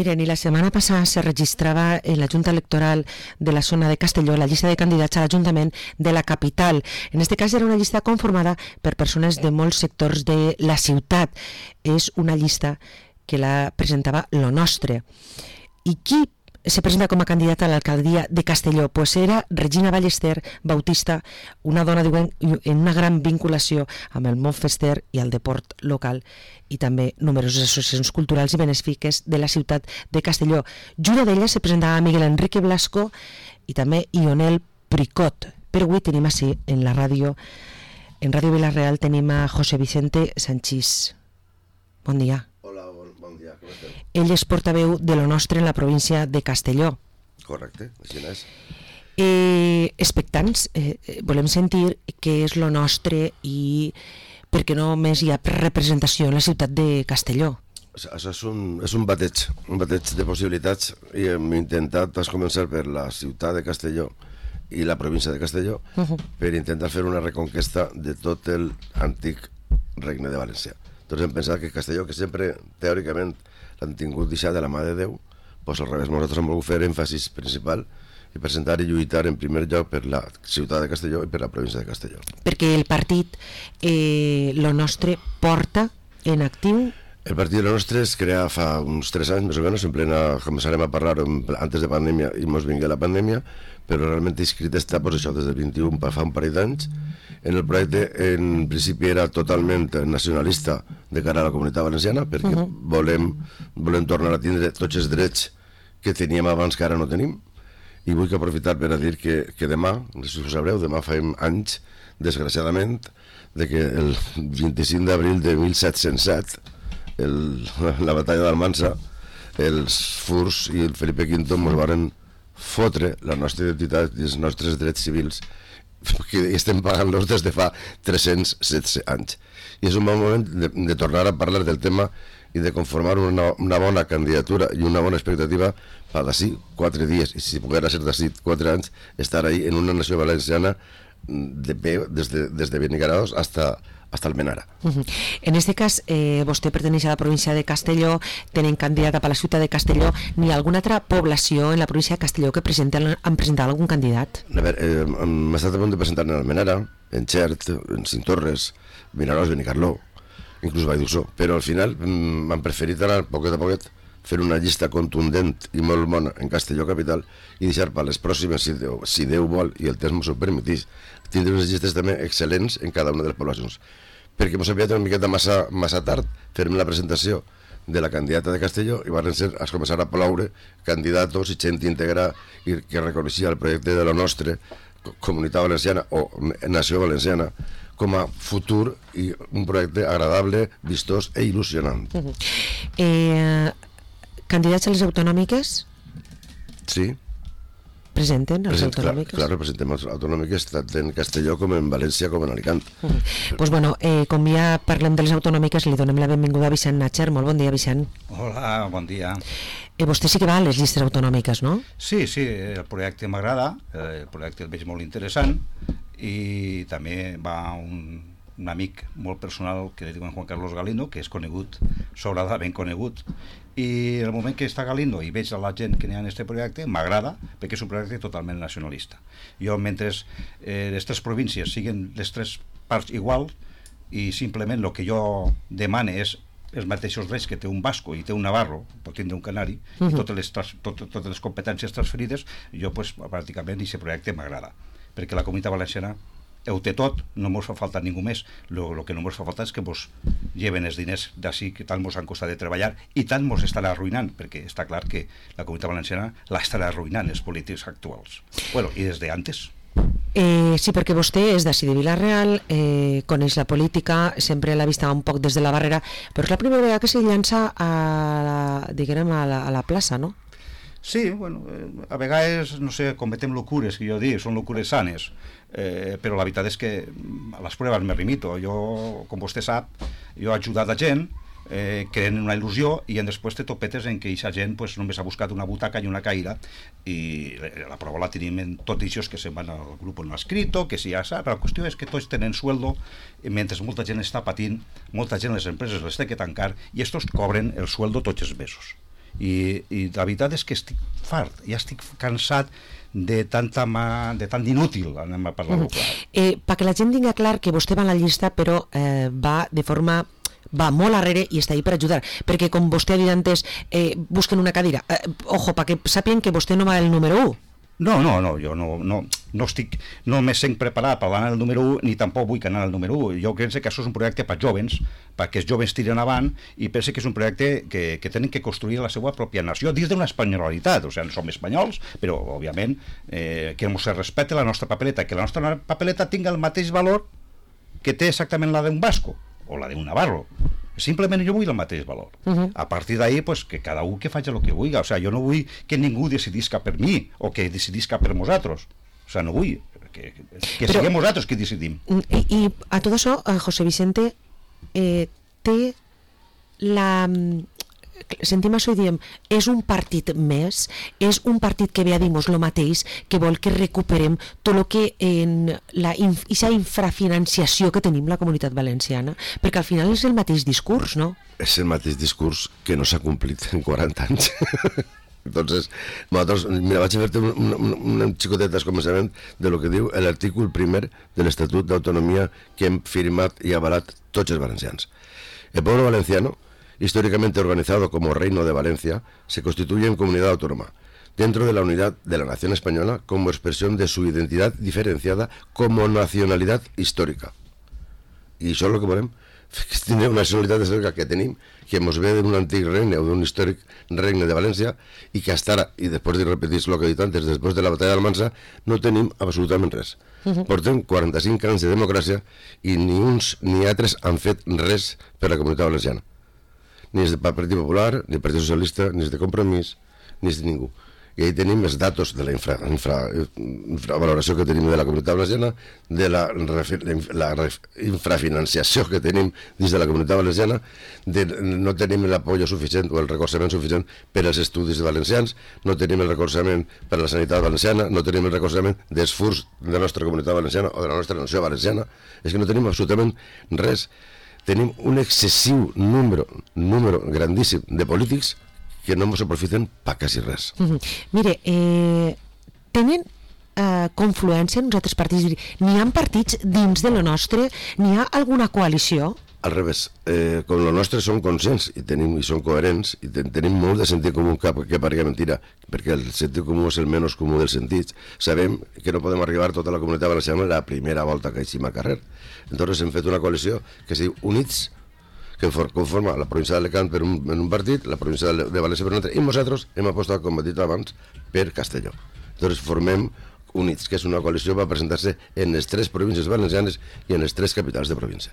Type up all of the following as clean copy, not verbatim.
Miren, y la semana pasada se registraba en la Junta Electoral de la zona de Castelló la llista de candidats a l'Ajuntament de la capital. En este cas era una llista conformada per persones de molts sectors de la ciutat. És una llista que la presentava Lo Nostre. I qui se presenta com a candidata a l'alcaldia de Castelló? Pues era Regina Ballester Bautista, una dona, diuen, en una gran vinculació amb el món fester i el deport local, i també numeroses associacions culturals i benèfiques de la ciutat de Castelló. Junt d'elles se presentava Miguel Enrique Blasco i també Ionel Pricot. Però avui tenim així, en la ràdio, en Ràdio Vila-real, tenim a José Vicente Sanchís. Bon dia. Hola, bon dia, com esteu? Ell és portaveu de Lo Nostre en la província de Castelló. Correcte, així és. Expectants, volem sentir què és Lo Nostre i per què només hi ha representació en la ciutat de Castelló. Això és un bateig de possibilitats, i hem intentat començar per la ciutat de Castelló i la província de Castelló per intentar fer una reconquesta de tot l'antic regne de València. Tots hem pensat que Castelló, que sempre teòricament l'han tingut deixat de la mà de Déu, doncs al revés, nosaltres hem volgut fer èmfasis principal i presentar i lluitar en primer lloc per la ciutat de Castelló i per la província de Castelló. Perquè el partit Lo Nostre porta en actiu... El partit Lo Nostre es crea fa uns 3 anys, més o menys, en plena, començarem a parlar antes de pandèmia i mos vingué la pandèmia, però realment inscrit està, doncs això, des del 21, fa un parell d'anys. En el projecte, en principi, era totalment nacionalista de cara a la comunitat valenciana, perquè volem tornar a tindre tots els drets que teníem abans que ara no tenim, i vull aprofitar per a dir que demà, no sé si ho sabreu, demà farem anys, desgraciadament, de que el 25 d'abril de 1707, la batalla d'Almansa, els furs i el Felipe V ens van fotre la nostra identitat i els nostres drets civils, que estem pagant-los des de fa 316 anys. I és un bon moment de tornar a parlar del tema i de conformar una bona candidatura i una bona expectativa per d'ací 4 dies, i si poguera ser d'ací 4 anys, estar ahí en una nació valenciana de peu des de Benigarados hasta Almenara. En este cas, vostè perteneix a la província de Castelló, tenen candidata per la ciutat de Castelló. N'hi ha alguna altra població en la província de Castelló que han presentat algun candidat? A veure, hem estat a punt de presentar en Almenara, en Xert, en Cintorres, Vinaròs, Benicarló, inclús Valldussó, però al final han preferit anar poquet a poquet, fer una llista contundent i molt bona en Castelló capital i deixar per les pròximes, si Déu vol i el temps m'ho permetís, tindre unes llistes també excel·lents en cada una de les poblacions. Perquè m'ho sabia una miqueta massa tard, fer-me la presentació de la candidata de Castelló i van començar a ploure candidatos i gent íntegra i que reconeixia el projecte de Lo Nostre, Comunitat Valenciana o Nació Valenciana, com a futur i un projecte agradable, vistós i il·lusionant. Candidats a les autonòmiques? Sí. Presenten les autonòmiques? Clar, presentem les autonòmiques tant en Castelló com en València com en Alicant. Doncs bueno, com ja parlem de les autonòmiques, li donem la benvinguda a Vicent Natcher. Molt bon dia, Vicent. Hola, bon dia. Vostè sí que va a les llistes autonòmiques, no? Sí, el projecte m'agrada, el projecte el veig molt interessant, i també va un amic molt personal que li diuen Juan Carlos Galindo, que és conegut, sobradament conegut, i en el moment que està Galindo i veig a la gent que n'hi ha en aquest projecte, m'agrada, perquè és un projecte totalment nacionalista. Jo, mentre les 3 províncies siguin les 3 parts iguals, i simplement el que jo demane és els mateixos drets que té un basco i té un navarro, pot tindre un canari, i totes les competències transferides, jo pràcticament aquest projecte m'agrada, perquè la comunitat valenciana ho té tot, no ens fa falta ningú més. El que no ens fa falta és que ens lleven els diners d'ací que tant ens han costat de treballar i tant ens estan arruïnant, perquè està clar que la comunitat valenciana l'estan arruïnant els polítics actuals. Bueno, i des d'antes. Sí, perquè vostè és d'ací de Vila-real, coneix la política, sempre l'ha vista un poc des de la barrera, però és la primera vegada que se llança a la plaça, no? Sí, bueno, a vegades, no sé, cometem locures, que jo dic, són locures sanes, però la veritat és que a les proves me remito. Jo, com vostè sap, jo he ajudat a gent, creen una il·lusió, i després te topetes en què aquesta gent només ha buscat una butaca i una caïra, i la prova la tenim en tots ells que se'n van al grup on no ha escrito, que si ja sap, però la qüestió és que tots tenen sueldo, mentre molta gent està patint, molta gent les empreses les té que tancar, i estos cobren el sueldo tots els mesos. I la veritat és que estic fart, ja estic cansat de tant d'inútil, anem a parlar-ho clar. Perquè la gent tingui clar que vostè va a la llista, però va molt arrere i està ahí per ajudar, perquè com vostè ha dit antes, busquen una cadira, ojo, perquè sàpien que vostè no va el número 1. No, jo no me sent preparat per anar al número 1, ni tampoc vull anar al número 1. Jo crec que això és un projecte per jovens, perquè els jovens tiren avant, i penso que és un projecte que tenen que construir la seva pròpia nació, dins d'una espanyolitat. O sigui, som espanyols, però, òbviament, que ens respecte la nostra papeleta, que la nostra papeleta tingui el mateix valor que té exactament la d'un basco, o la d'un navarro. Simplement jo vull el mateix valor. A partir d'ahí, pues, que cada un que faci el que vulgui. O sea, jo no vull que ningú decidisca per mi o que decidisca per nosaltres. O sea, no vull que siguem nosaltres que decidim. I a tot això, José Vicente, té la... sentim això i diem, és un partit més, és un partit que ve a dir-nos el mateix, que vol que recuperem tot el que en aquesta infrafinanciació que tenim la Comunitat Valenciana, perquè al final és el mateix discurs, no? És el mateix discurs que no s'ha complit en 40 anys. Entonces, nosaltres, mira, vaig a fer-te un xicotet descomençament de lo que diu l'artícul 1 de l'Estatut d'Autonomia que hem firmat i avalat tots els valencians. El pueblo valenciano, históricamente organizado como Reino de Valencia, se constituye en comunidad autónoma, dentro de la unidad de la nación española como expresión de su identidad diferenciada como nacionalidad histórica. I això és el que volem, que tindre una nacionalitat històrica que tenim, que ens ve d'un antic regne o d'un històric regne de València, i que hasta ara, i després de repetir el que he dit antes, després de la batalla d'Almansa, no tenim absolutament res. Portem 45 anys de democràcia i ni uns ni altres han fet res per la Comunitat Valenciana. Ni és del Partit Popular, ni del Partit Socialista, ni és de Compromís, ni és de ningú. I ahí tenim els datos de la infravaloració que tenim de la Comunitat Valenciana, de la infrafinanciació que tenim dins de la Comunitat Valenciana, de no tenim l'apoyo suficient o el recolzament suficient per als estudis valencians, no tenim el recolzament per a la sanitat valenciana, no tenim el recolzament dels furs de la nostra Comunitat Valenciana o de la nostra nació valenciana. És que no tenim absolutament res. Tenim un excessiu número grandíssim de polítics que no ens aprofiten per quasi res. Mire, tenen confluència en uns altres partits? N'hi ha partits dins de lo nostre? N'hi ha alguna coalició? Al revés, com lo nostre som conscients i som coherents i tenim molt de sentit comú que parega mentira, perquè el sentit comú és el menys comú dels sentits. Sabem que no podem arribar tota la Comunitat Valenciana la primera volta que eixim al carrer. Entonces hem fet una coalició que es diu Units, que conforma la província d'Alacant en un partit, la província de València per un altre, i nosaltres hem apostat, com he dit abans, per Castelló. Entonces formem Units, que és una coalició per presentar-se en les 3 províncies valencianes i en les 3 capitals de província.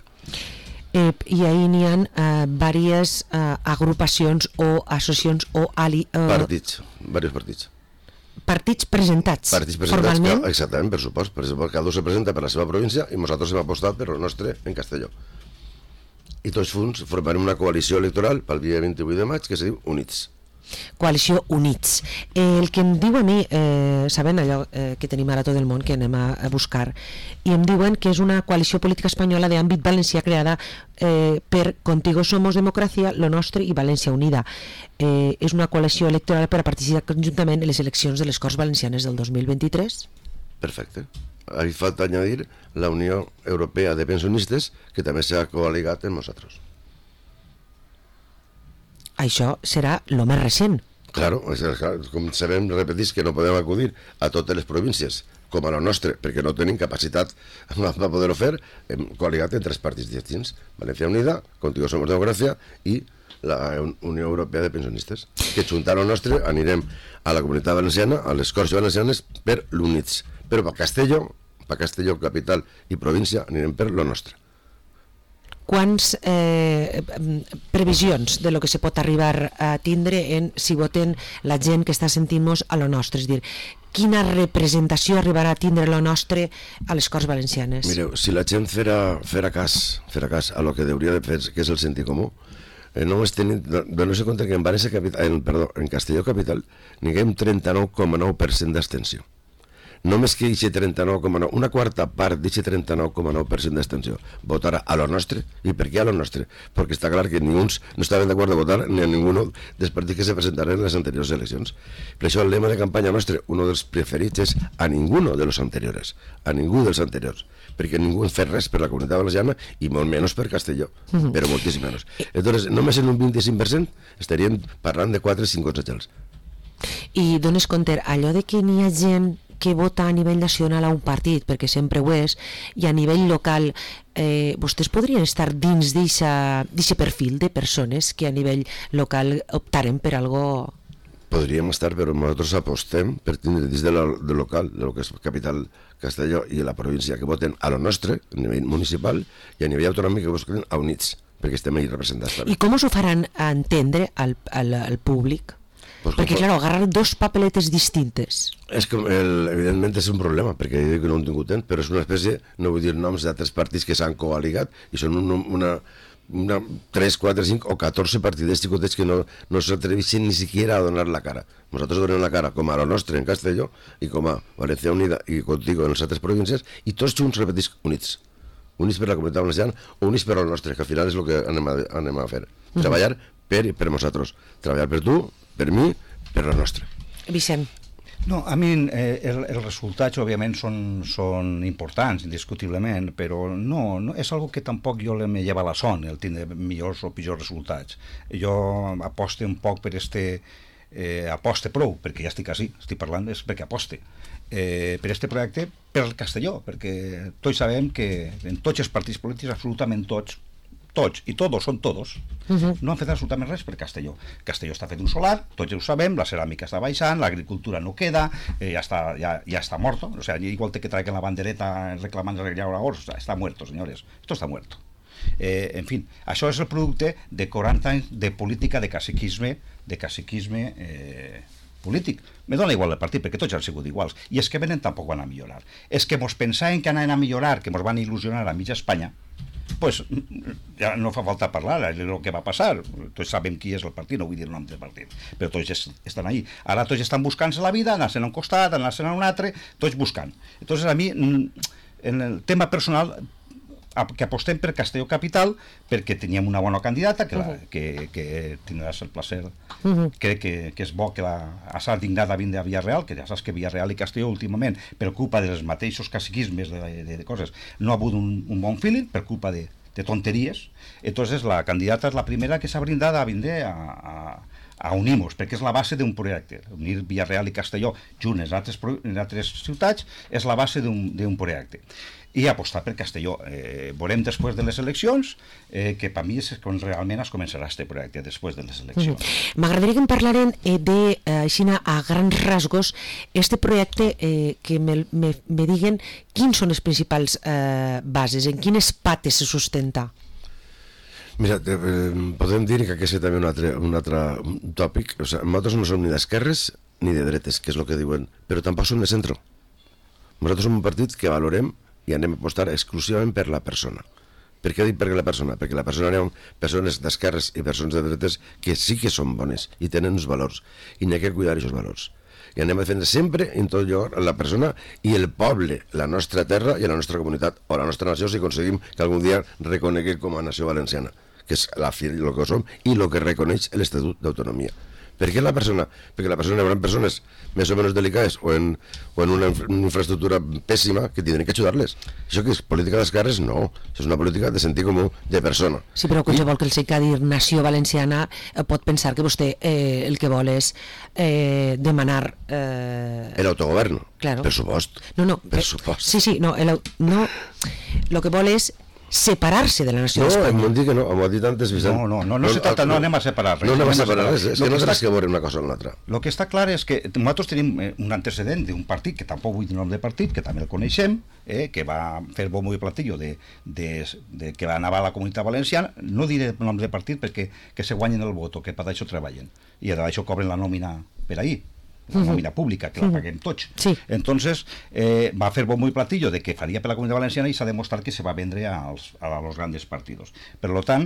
I ahí n'hi ha diverses agrupacions o associacions o partits, diversos partits. Partits presentats formalment? Exactament, per supost. Per exemple, cada un se presenta per la seva província i nosaltres hem apostat per el nostre en Castelló. I tots junts formarem una coalició electoral pel dia 28 de maig que es diu Units. Coalició Units. El que em diu a mi, sabent allò que tenim ara tot el món, que anem a buscar, i em diuen que és una coalició política espanyola d'àmbit valencià creada per Contigo Somos Democràcia, Lo Nostre i València Unida. És una coalició electoral per a participar conjuntament en les eleccions de les Corts Valencianes del 2023. Perfecte. Ahí falta añadir la Unió Europea de Pensionistes, que també s'ha coaligat amb nosaltres. Això serà el més recent. Claro, com sabem, repetís que no podem acudir a totes les províncies com a la nostra, perquè no tenim capacitat per poder-ho fer. Hem coaligat en 3 partits distints: València Unida, Contigo Somos Democràcia i la Unió Europea de Pensionistes, que juntant el nostre anirem a la Comunitat Valenciana, a les Corts Valencianes, per l'Units. Però per Castelló, capital i província, anirem per lo nostre. Quants previsions de lo que se pot arribar a tindre si voten la gent que està sentint-nos a lo nostre? És dir, quina representació arribarà a tindre lo nostre a les Corts Valencianes? Mireu, si la gent fera cas a lo que hauria de fer, que és el sentit comú, només tenim, donar-se compte que en Castelló capital tinguem 39,9% d'abstenció. només que eixe 39,9, una quarta part d'eixe 39,9% d'extensió votarà a lo nostre. I per què a lo nostre? Perquè està clar que ningú no estaven d'acord de votar ni a ningú dels partits que se presentaren en les anteriors eleccions. Per això el lema de campanya nostre, un dels preferits, és a ninguno de los anteriores, a ningú dels anteriors, perquè ningú ha fet res per la Comunitat Valenciana i molt menys per Castelló, però moltíssim menys. Entonces, només en un 25% estaríem parlant de 4-5 consellers. I dones compte, allò de que n'hi ha gent que vota a nivell nacional a un partit, perquè sempre ho és, i a nivell local, vostès podrien estar dins d'aquest perfil de persones que a nivell local optaren per algo... Podríem estar, però nosaltres apostem per tindre dins de local, de lo que és capital Castelló i la província, que voten a lo nostre, a nivell municipal, i a nivell autonòmic que voten a Units, perquè estem ahí representats. I com us ho faran entendre al públic? Pues perquè, clar, agarrar dos papeletes distintes. És que, evidentment, és un problema, perquè jo dic que no ho he tingut temps, però és una espècie, no vull dir noms d'altres partits que s'han coaligat, i són una 3, 4, 5 o 14 partiders xicotets que no s'atreveixen ni siquiera a donar la cara. Nosaltres donem la cara com a lo nostre en Castelló i com a València Unida i contigo en les altres províncies, i tots junts repetís units. Units per la Comunitat Valenciana o units per al nostre, que al final és el que anem a fer. Treballar per nosaltres. Treballar per tu, per mi, per la nostra. Vicent. No, a mi els resultats, òbviament, són importants, indiscutiblement, però no és algo que tampoc jo me lleva la son, el tindre millors o pitjors resultats. Jo aposte un poc per aposte prou, perquè ja estic així, estic parlant, és perquè aposte per projecte, per el Castelló, perquè tots sabem que en tots els partits polítics, absolutament tots, i tots són tots, no han fet absolutament res per Castelló. Castelló està fet un solar, tots ho sabem, la ceràmica està baixant, l'agricultura no queda, ja està morto, o sea, igual que traigan la bandereta reclamant el llauradors, està muerto, señores, esto está muerto. En fin, això és el producte de 40 anys de política de caciquisme polític. Me dona igual el partit, perquè tots han sigut iguals. I és que venen tampoc van a millorar. És que mos pensaven que anaven a millorar, que mos van il·lusionar a mitja Espanya, pues ja no fa falta parlar, és el que va passar. Tots sabem qui és el partit, no vull dir el nom del partit, però tots estan ahí. Ara tots estan buscant-se la vida, anar-se'n a un costat, anar-se'n a un altre, tots buscant. Entonces a mi, en el tema personal, que apostem per Castelló Capital, perquè teníem una bona candidata, que tindràs el placer, crec que és bo que s'ha dignat a vindre a Villarreal, que ja saps que Villarreal i Castelló últimament, per culpa dels mateixos caciquismes de coses, no ha hagut un bon feeling, per culpa de tonteries. Entonces la candidata és la primera que s'ha brindat a vindre a unir-nos, perquè és la base d'un projecte. Unir Villarreal i Castelló junts en altres ciutats és la base d'un projecte. I apostar per Castelló. Veurem després de les eleccions, que per mi és quan realment es començarà aquest projecte, després de les eleccions. M'agradaria que em parlaren de, així a grans rasgos, este projecte, que me diguen quins són les principals bases, en quines pates se sustenta. Mira, podem dir que aquest és també un altre tòpic. O sigui, nosaltres no som ni d'esquerres ni de dretes, que és el que diuen, però tampoc som de centre. Nosaltres som un partit que valorem i anem a apostar exclusivament per la persona. Per què dic per la persona? Perquè la persona hi ha persones d'esquerres i persones de dretes que sí que són bones i tenen uns valors, i n'hi ha que cuidar aquests valors. I anem a defendre sempre, en tot lloc, la persona i el poble, la nostra terra i la nostra comunitat, o la nostra nació, si aconseguim que algun dia reconeguem com a nació valenciana, que és el que som i el que reconeix l'Estatut d'Autonomia. Per què la persona? Perquè la persona hi haurà persones més o menys delicades o en una infraestructura pèssima que tindrem que ajudar-les. Això que és política d'esquerres? No. Això és una política de sentit comú de persona. Sí, però qualsevol que el sé que dir nació valenciana pot pensar que vostè el que vol és demanar... L'autogovern, claro. Per supost. No, per supost. Sí, no, lo que vol és separar-se de la nació d'Espanya. No, em dic que no, m'ho ha dit antes Vicent. No se tracta, no anem a separar res. No anem a separar res, és que no tens que veure una cosa amb l'altra. El que està clar és que nosaltres tenim un antecedent d'un partit, que tampoc vull dir nom de partit, que també el coneixem, que va fer bombo i platillo de que va anar a la Comunitat Valenciana, no diré nom de partit perquè se guanyen el voto, que per això treballen, i d'això cobren la nòmina per ahir, la nòmina pública, que la paguem tots. Sí. Entonces, va fer bombo i platillo de que faria per la Comunitat Valenciana i s'ha demostrat que se va vendre a los grandes partidos. Per tant,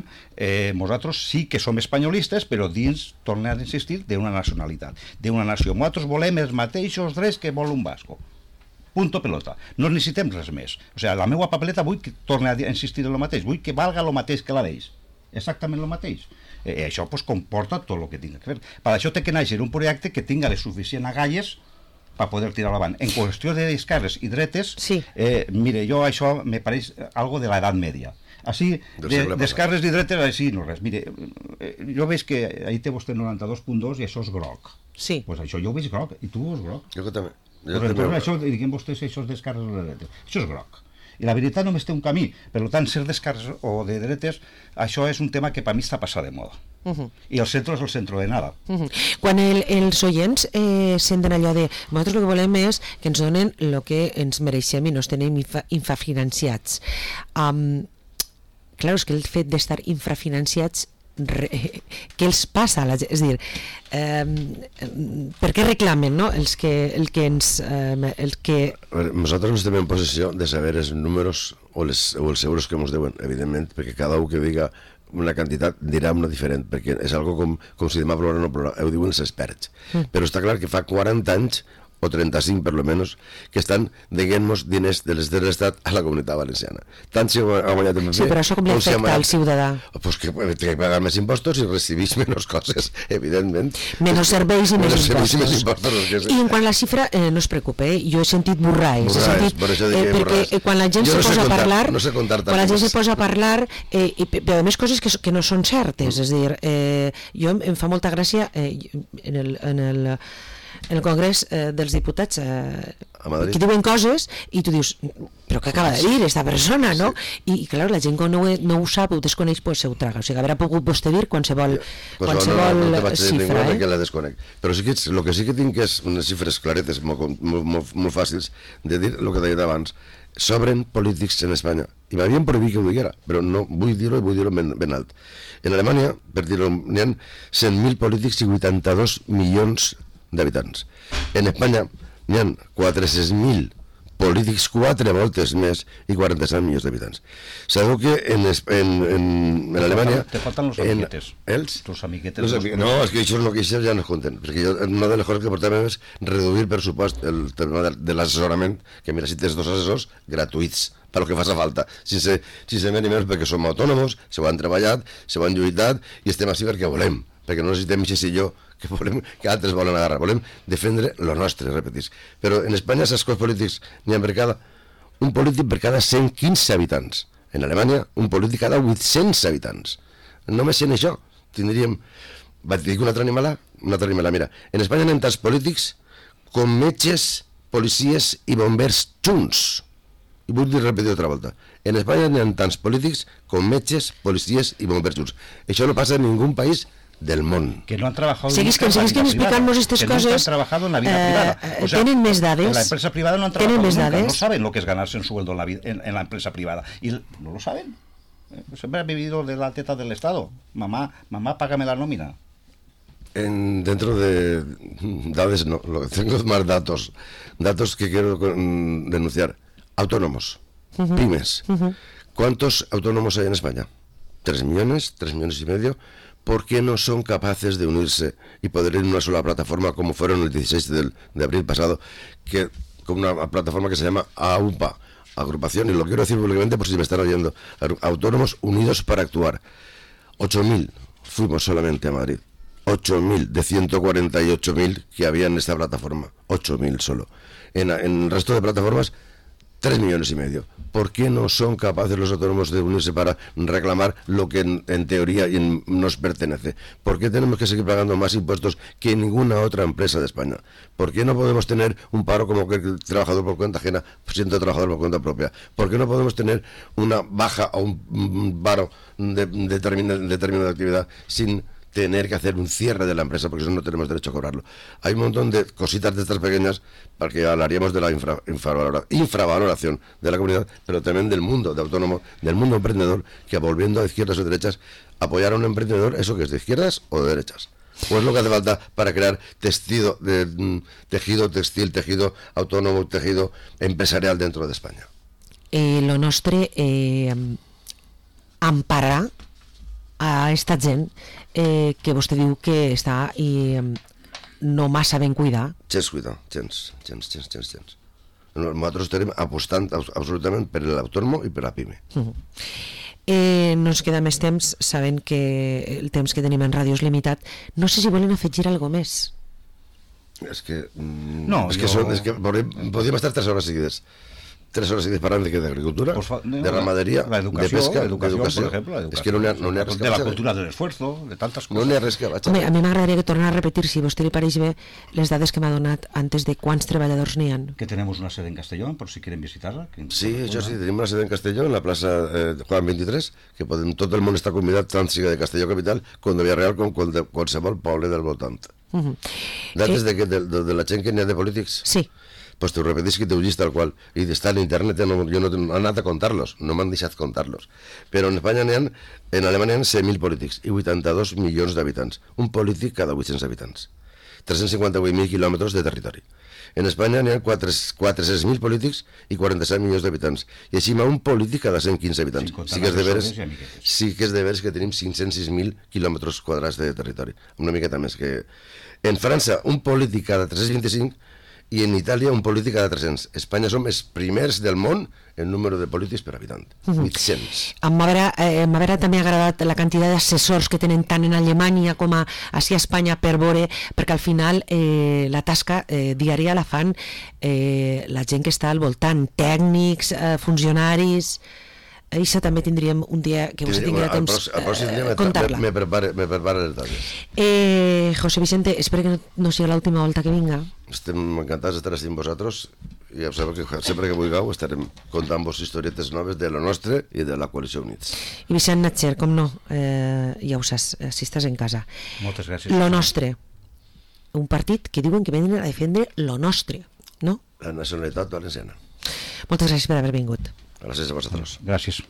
nosaltres sí que som espanyolistes, però dins, tornem a insistir, d'una nacionalitat, d'una nació. Nosaltres volem els mateixos drets que vol un basco. punto pelota. No necessitem res més. O sigui, la meva papeleta vull que torni a insistir en el mateix, vull que valga el mateix que la d'ells. Exactament el mateix. Això pues, comporta tot el que tinga que fer. Per això té que néixer un projecte que tinga les suficients agalles per poder tirar avant. En qüestió d'esquerres i dretes, sí. Mire, jo això me pareix algo de l'edat media. Així, d'esquerres i dretes, així no res. Mire, jo veig que ahí té vostè 92.2 i això és groc. Sí. Pues això jo ho veig groc, i tu ho veus groc. Jo també. Això, diguem vostès, això és d'esquerres o de dretes. Això és groc. I la veritat només té un camí. Per tant, ser d'esquerres o de dretes, això és un tema que per mi està passat de moda. I el centre és el centre de nada. Quan els oients senten allò de nosaltres el que volem és que ens donen el que ens mereixem i no ens tenim infrafinanciats. Clar, és que el fet d'estar infrafinanciats, què els passa a la gent? És a dir, per què reclamen, no? Nosaltres no estem en possessió de saber els números o els euros que ens deuen, evidentment, perquè cada un que diga una quantitat dirà una diferent, perquè és algo com si demà plourà o no plourà, ho diuen els experts. Però està clar que fa 40 anys o 35 per lo menos, que estan deguent-nos diners de l'Estat a la Comunitat Valenciana. Tant si ha guanyat el PP... Sí, però això com li afecta al ciutadà? Pues que té que pagar més impostos i recibís menys coses, evidentment. Menys serveis i més impostos. I en quant a la xifra, no es preocupe, jo he sentit borraes. Perquè quan la gent se posa a parlar... Quan la gent se posa a parlar, però a més coses que no són certes. És a dir, jo em fa molta gràcia en el Congrés dels Diputats que diuen coses i tu dius, però què acaba de dir aquesta persona, no? I clar, la gent que no ho sap, ho desconeix, pues se ho traga. O sigui, haurà pogut vostè dir qualsevol xifra. Però sí que el que sí que tinc és unes xifres claretes molt fàcils de dir el que deia abans. Sobren polítics en Espanya i m'havien prohibit que ho diguera, però no vull dir-ho i vull dir-ho ben alt. En Alemanya, per dir-ho, n'hi ha 100.000 polítics i 82 milions d'habitants. En Espanya n'hi ha 400.000 polítics, 4 voltes més i 47 milions d'habitants. Sabeu que en Alemanya... Te falten los amiguetes. Els amiguetes. No, és que això ja no es compten, perquè una de les coses que portàvem és reduir per supost el tema de l'assessorament, que mira, si tens 2 assessors gratuïts, per lo que faci falta, sense més ni menys, perquè som autònoms, se ho han treballat, se ho han lluitat i estem així perquè volem, perquè no necessitem aquest silló que altres volen agarrar, volem defendre lo nostre, repetís. Però en Espanya els cos polítics n'hi ha un polític per cada 115 habitants. En Alemanya, un polític cada 800 habitants. Només en això tindríem... Vaig dir una altra animalà, mira, en Espanya n'hi ha tants polítics com metges, policies i bombers junts. I vull repetir altra volta. En Espanya n'hi ha tants polítics com metges, policies i bombers junts. Això no passa en ningú país del món. Que no han trabajado seguís que explicant-nos aquestes coses. Que no han trabajado en la vida privada. O sea, tenen més dades. En la empresa privada no han trabajado nunca. No saben lo que es ganarse un sueldo en la empresa privada. Y no lo saben. Siempre han vivido de la teta del Estado. Mamá, págame la nómina. Dentro de datos, no, tengo más datos que quiero denunciar. Autónomos, pymes. ¿Cuántos autónomos hay en España? 3 millones y medio. ¿Por qué no son capaces de unirse y poder ir en una sola plataforma como fueron el 16 de abril pasado, que con una plataforma que se llama AUPA, agrupación, y lo quiero decir públicamente por si me están oyendo, Autónomos Unidos para Actuar? 8.000 fuimos solamente a Madrid, 8.000 de 148.000 que había en esta plataforma, 8.000 solo. En el resto de plataformas 3 millones y medio. ¿Por qué no son capaces los autónomos de unirse para reclamar lo que en teoría nos pertenece? ¿Por qué tenemos que seguir pagando más impuestos que ninguna otra empresa de España? ¿Por qué no podemos tener un paro como que el trabajador por cuenta ajena siendo trabajador por cuenta propia? ¿Por qué no podemos tener una baja o un paro de determinada actividad sin tener que hacer un cierre de la empresa, porque eso no tenemos derecho a cobrarlo? Hay un montón de cositas de estas pequeñas, porque hablaríamos de la infravaloración de la comunidad, pero también del mundo de autónomo, del mundo emprendedor, que volviendo a izquierdas o derechas, apoyar a un emprendedor, ¿eso que es de izquierdas o de derechas? ¿O es lo que hace falta para crear tejido textil, tejido autónomo, tejido empresarial dentro de España? Lo nostre amparar a esta gent que vostè diu que està no massa ben cuidat. Gens cuidat, gens. Nosaltres estarem apostant absolutament per l'autònom i per la PIME. No ens queda més temps, sabent que el temps que tenim en ràdio és limitat. No sé si volen afegir alguna més. És que... No, podríem estar 3 hores seguides. 3 hores seguides parlant d'agricultura, de ramaderia, de pesca, d'educació, per exemple. És que no n'hi ha res que de la cultura de l'esfuerzo, de tantes coses. No n'hi ha res que vaig. Home, a mi m'agradaria que tornar a repetir, si a vostè li pareix bé, les dades que m'ha donat antes de quants treballadors n'hi ha. Que tenemos una sede en Castellón, por si quieren visitarla. Sí, això sí, tenim una sede en Castelló, en la plaça Juan 23, que tot el món està convidat, tant siga de Castelló capital, com de Villarreal, com de qualsevol poble del voltant. Dades de la gent que n'hi ha de polítics? Sí. Pues t'ho repetís que t'ho llis tal qual, i està en internet, jo no he anat a comptar-los, no m'han deixat comptar-los, però en Espanya en Alemanya hi ha 100.000 polítics i 82 milions d'habitants, un polític cada 800 habitants, 358.000 quilòmetres de territori. En Espanya n'hi ha 400.000 polítics i 47 milions d'habitants, i així hi ha un polític cada 115 habitants. Sí que és de veres que tenim 506.000 quilòmetres quadrats de territori, una miqueta més que... En França, un polític cada 325, i en Itàlia un polític cada 300. Espanya som els primers del món en número de polítics per habitant. 800. M'haurà també agradat la quantitat d'assessors que tenen tant en Alemanya com així a Espanya per veure, perquè al final la tasca diària la fan la gent que està al voltant, tècnics, funcionaris... Això també tindríem un dia que vostè tingui temps comptar-la. Me prepara les dades. José Vicente, espero que no sigui l'última volta que vinga. Estem encantats d'estar així amb vosaltres, i ja sabeu que sempre que vulgueu estarem contant-vos historietes noves de lo nostre i de la Coalició Units. I Vicent Natcher, com no, ja ho saps, si estàs en casa. Moltes gràcies. Lo nostre, un partit que diuen que venen a defendre lo nostre, no? La nacionalitat valenciana. Moltes gràcies per haver vingut. Gràcies a vosaltres. Gràcies.